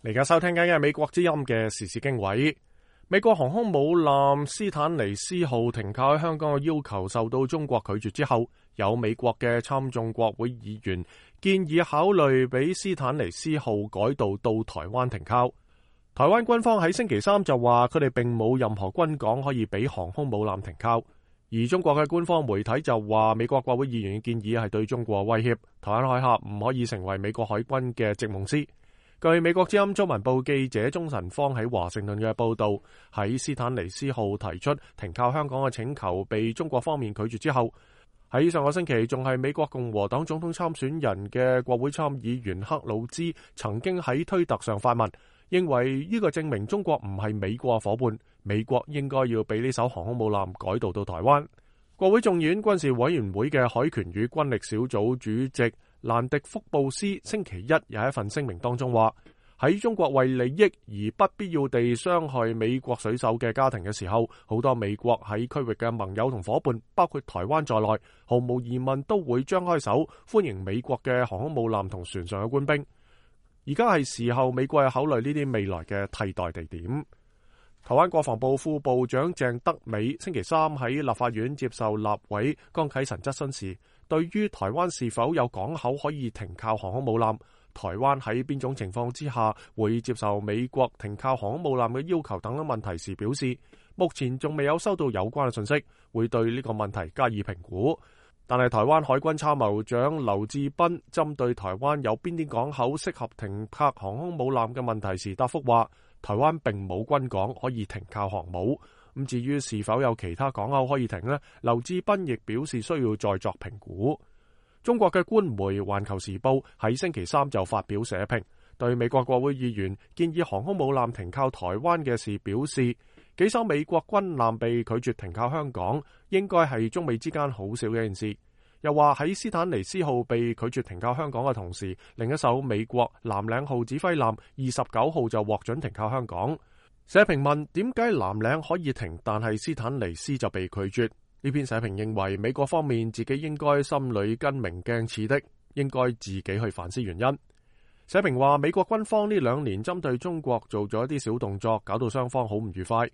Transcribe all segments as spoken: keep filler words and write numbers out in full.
而家收聽緊嘅美國之音嘅時事經緯，美國航空母艦斯坦尼斯號停靠喺香港嘅要求受到中國拒絕之後，有美國嘅參眾國會議員建議考慮俾斯坦尼斯號改道到台灣停靠。台灣軍方喺星期三就話佢哋並冇任何軍港可以俾航空母艦停靠，而中國嘅官方媒體就話美國國會議員嘅建議係對中國威脅，台灣海峽唔可以成為美國海軍嘅席夢思。據美國之音中文報記者鍾晨芳喺華盛頓嘅報道，喺斯坦尼斯號提出停靠香港嘅請求被中國方面拒絕之後，喺上個星期仲係美國共和黨總統參選人嘅國會參議員克魯茲曾經喺推特上發文，認為呢個證明中國唔係美國伙伴，美國應該要俾呢艘航空母艦改道到台灣。國會眾議院軍事委員會嘅海權與軍力小組主席蘭迪福布斯星期一有一份聲明當中話，喺中國為利益而不必要地傷害美國水手嘅家庭嘅時候，好多美國喺區域嘅盟友同伙伴，包括台灣在內，毫無疑問都會張開手歡迎美國嘅航空母艦同船上嘅官兵。而家係時候美國係考慮呢啲未來嘅替代地點。台灣國防部副部長鄭德美星期三喺立法院接受立委江啟臣質詢時，對於台灣是否有港口可以停靠航空母艦，台灣喺邊種情況之下會接受美國停靠航空母艦嘅要求等等問題時表示，目前仲未有收到有關嘅信息，會對呢個問題加以評估。但係台灣海軍參謀長劉志斌針對台灣有邊啲港口適合停泊航空母艦嘅問題時答覆話，台灣並冇軍港可以停靠航母。咁至於是否有其他港口可以停呢？劉志斌亦表示需要再作評估。中國嘅官媒《環球時報》喺星期三就發表社評，對美國國會議員建議航空母艦停靠台灣嘅事表示，幾艘美國軍艦被拒絕停靠香港，應該係中美之間好少嘅一件事。又話喺斯坦尼斯號被拒絕停靠香港嘅同時，另一艘美國藍嶺號指揮艦二十九號就獲准停靠香港。社評問點解藍嶺可以停，但係斯坦尼斯就被拒絕？呢篇社評認為美國方面自己應該心裏跟明鏡似的，應該自己去反思原因。社評話美國軍方呢兩年針對中國做咗一啲小動作，搞到雙方好唔愉快。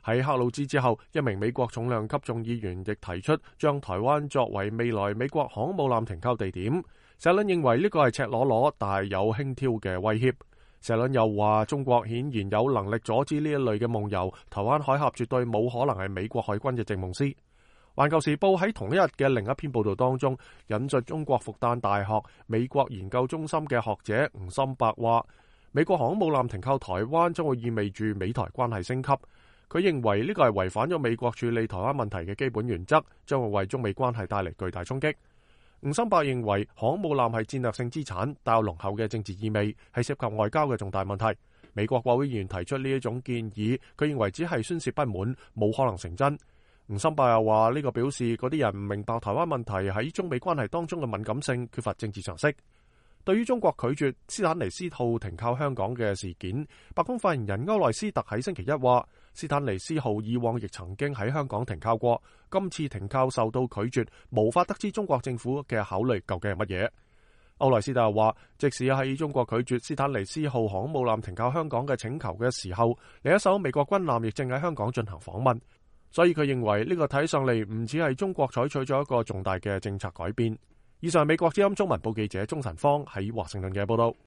喺克魯茲之後，一名美國重量級眾議員亦提出將台灣作為未來美國航空母艦停靠地點。社論認為呢個係赤裸裸但係有輕佻嘅威脅。社論又話中國顯然有能力阻止呢一類嘅夢遊，台灣海峽絕對冇可能係美國海軍嘅席夢思。環球時報喺同一日嘅另一篇報道當中，引述中國復旦大學美國研究中心嘅學者吳心伯話，美國航空母艦停靠台灣將會意味住美台關係升級。佢認為呢個係違反咗美國處理台灣問題嘅基本原則，將會為中美關係帶嚟巨大衝擊。吳心伯認為航空母艦係戰略性資產，帶有濃厚嘅政治意味，係涉及外交嘅重大問題。美國國會議員提出呢一種建議，佢認為只係宣泄不滿，冇可能成真。吳心伯又話呢個表示嗰啲人唔明白台灣問題喺中美關係當中嘅敏感性，缺乏政治常識。對於中國拒絕斯坦尼斯號停靠香港嘅事件，白宮發言人歐萊斯特喺星期一話，斯坦尼斯號以往亦曾經喺香港停靠過，今次停靠受到拒絕，無法得知中國政府嘅考慮究竟係乜嘢。歐萊斯特又話，即使喺中國拒絕斯坦尼斯號航空母艦停靠香港嘅請求嘅時候，另一艘美國軍艦亦正喺香港進行訪問，所以佢認為呢個睇上嚟唔似係中國採取咗一個重大嘅政策改變。以上美國之音中文報記者鍾晨芳喺華盛頓嘅報道。